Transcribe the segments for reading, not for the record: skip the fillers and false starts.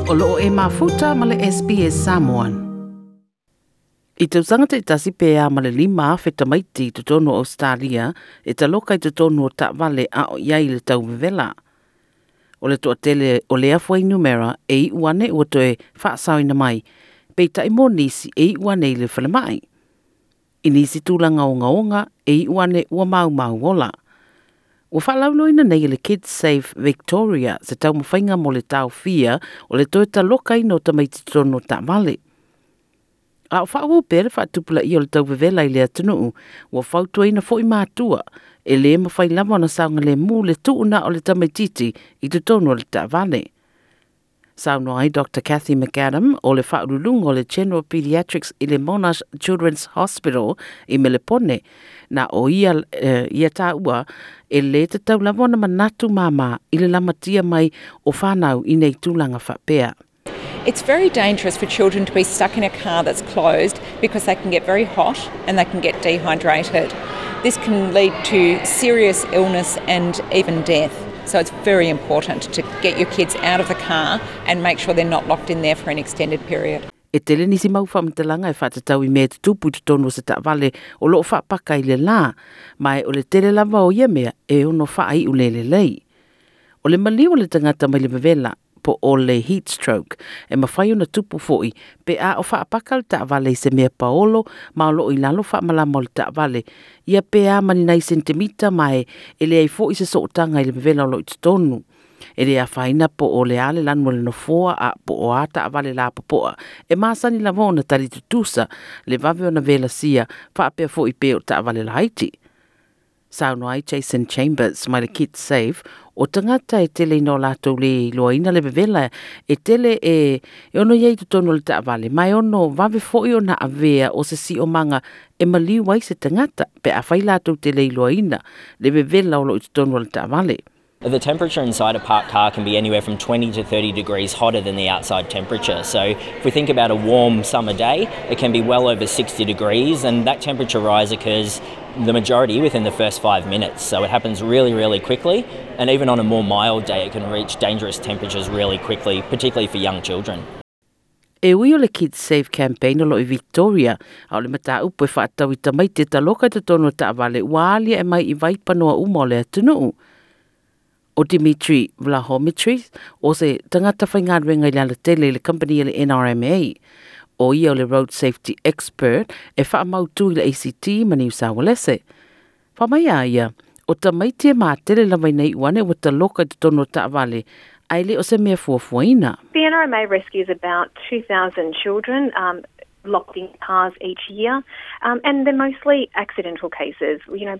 O loo e mafuta ma le SBS Samoan. I tausaga taitasi pe a ma le 5,000 tamaiti i totonu o Australia e taloka i totonu o taavale a o i ai le tauvevela. O le toatele o lea fuainumera e iu ane ua toe faasaoina mai, peitai mo nisi e iu ane i le falemai. I nisi tulaga ogaoga e iu ane ua maumau ola. Ua faalauiloaina nei e le Kids Safe Victoria se taumafaiga mo le taofia o le toe talokaina o tamaiti i totonu o taavale. A o faaauau pea le faatupulaia o le tauvevela i le atunuu, ua fautuaina foi matua e lē mafai lava ona saogalemu le tuuna o le tamaititi i totonu o le taavale. Saunoa ai Dr. Cathy McAdam o le faauluuluga o le General Pediatrics i le Monash Children's Hospital i Melepone, na o ia, ia taua e lē tatau lava ona manatu māmā i le lamatia mai o fanau i nei tulaga faapea. It's very dangerous for children to be stuck in a car that's closed because they can get very hot and they can get dehydrated. This can lead to serious illness and even death. So it's very important to get your kids out of the car and make sure they're not locked in there for an extended period. E tele nisi mau faamatalaga e faatatau i mea e tutupu i totonu o se taavale o loo faapaka i le lā, ma e o le tele lava o ia mea e ono faaiu le lelei. O le maliu o le tagata mai le vevela po o le heat stroke e mafai ona tupu foi pe a o faapaka le taavale i se mea paolo ma o loo i lalo faamalama o le taavale ia pe a ma ni nai sentimita ma e leai foi se sootaga i le vevela o loo i totonu. E le afaina po o le a le lanu o le nofoa a po o a taavale lapopoa e masani lava ona tali tutusa le vave ona velasia faapea foi pe o taavale laiti. Saunoa ai Jason Chambers mai le Kids Safe o tagata e tele ina o latou lē iloaina le vevela e tele e ono i ai i totonu o le taavale ma e ono vave foi ona avea o se siomaga e maliu ai se tagata pe afai latou te le iloaina le vevela o loo i totonu o le taavale. The temperature inside a parked car can be anywhere from 20 to 30 degrees hotter than the outside temperature. So if we think about a warm summer day, it can be well over 60 degrees, and that temperature rise occurs the majority within the first 5 minutes. So it happens really, really quickly, and even on a more mild day, it can reach dangerous temperatures really quickly, particularly for young children. E ui o le Kids Safe Campaign o loo i Victoria, a o le mataupu e faatatau i tamaiti e taloka i totonu o taavale ua aliae mai i vaipanoa uma o le atunuu. O Dimitri Vlahomitris o se tagata faigaluega i le alatele i le company e le NRMA. O ia o le Road Safety Expert e faamautu i le ACT ma Niu Saualese. Fai mai a ia, o tamaiti e matele lava ina iu ane ua taloka i totonu o taavale, ae le o se mea fuafuaina. The NRMA rescues about 2,000 children locked in cars each year, and they're mostly accidental cases.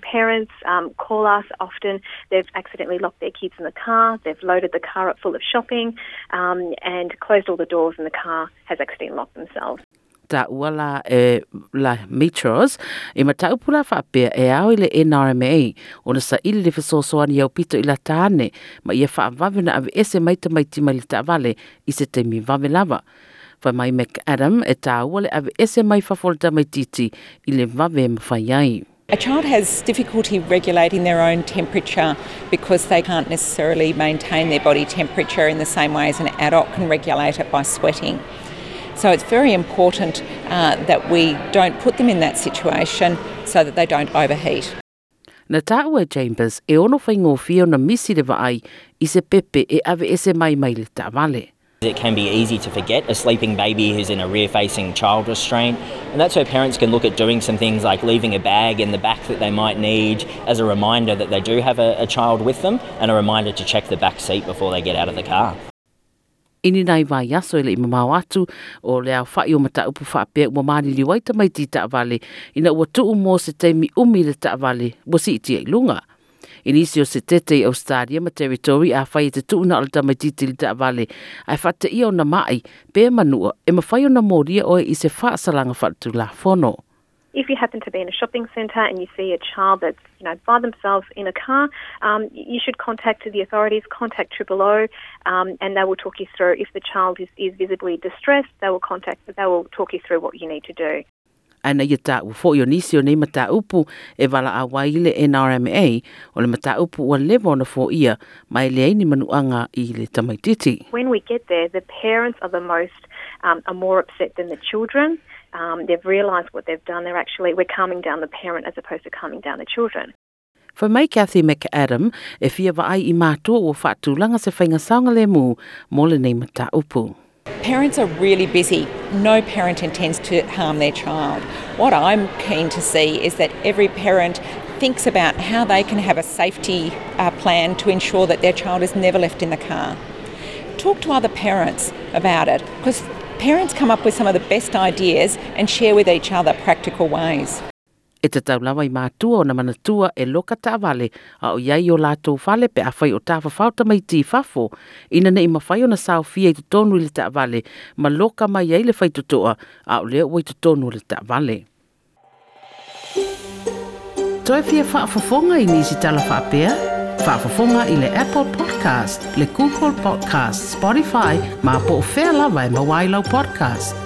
Parents call us often. They've accidentally locked their kids in the car, they've loaded the car up full of shopping, and closed all the doors, and the car has accidentally locked themselves. Taua la e la Mitros e mataupu la faapea e ao i le NRMA ona saili le fesoasoani aupito i lata ane ma ia faavave ona aveese mai tamaiti mai le taavale i se taimi vave lava. Fai mai McAdam e taua le aveese mai fafo o le tamaititi i le vave e mafai ai. A child has difficulty regulating their own temperature because they can't necessarily maintain their body temperature in the same way as an adult can regulate it by sweating. So it's very important that we don't put them in that situation so that they don't overheat. Na taua e Chambers e ono faigofie ona misi le vaai i se pepe e aveese mai mai le taavale. It can be easy to forget a sleeping baby who's in a rear-facing child restraint, and that's where parents can look at doing some things like leaving a bag in the back that they might need as a reminder that they do have a child with them, and a reminder to check the back seat before they get out of the car. I ni nai vaiaso e le i mamao atu o le aofa'i o mataupu faapea ua maliliu ai tamaiti i taavale ina ua tuu mo se taimi umi le taavale ua siitia i luga. I nisi o setete i Australia ma Territory afai e te tuuna o le tamaititi i le taavale ae faateia ona ma'i pe manua e mafai ona molia oe i se faasalaga faaletulafono. If you happen to be in a shopping centre and you see a child that's by themselves in a car, you should contact the authorities, contact Triple O, and they will talk you through. If the child is visibly distressed, they will talk you through what you need to do. Ae na ia taua fo'i o nisi o nei mataupu e valaau ai le NRMA, o le mataupu ua leva ona foia ma e leai ni manuaga i le tamaititi. When we get there, the parents are the most are more upset than the children. They've realised what they've done. They're actually, we're calming down the parent as opposed to calming down the children. Fai mai Cathy McAdam e fia vaai i matua ua faatulaga se faiga saogalemu mo lenei mataupu. Parents are really busy. No parent intends to harm their child. What I'm keen to see is that every parent thinks about how they can have a safety plan to ensure that their child is never left in the car. Talk to other parents about it, because parents come up with some of the best ideas and share with each other practical ways. E tatau lava i matua ona manatua e loka taavale a o iai o latou fale pe afai o tafafao tamaiti i fafo, ina ne'i mafai ona saofia i totonu i le taavale ma loka mai ai le faitotoa a o lea ua i totonu o le taavale. Toe fia faafofoga i nisi tala faapea? Faafofoga i le Apple Podcast, le Google Podcast, Spotify, ma po o fea lava e maua ai lau podcast.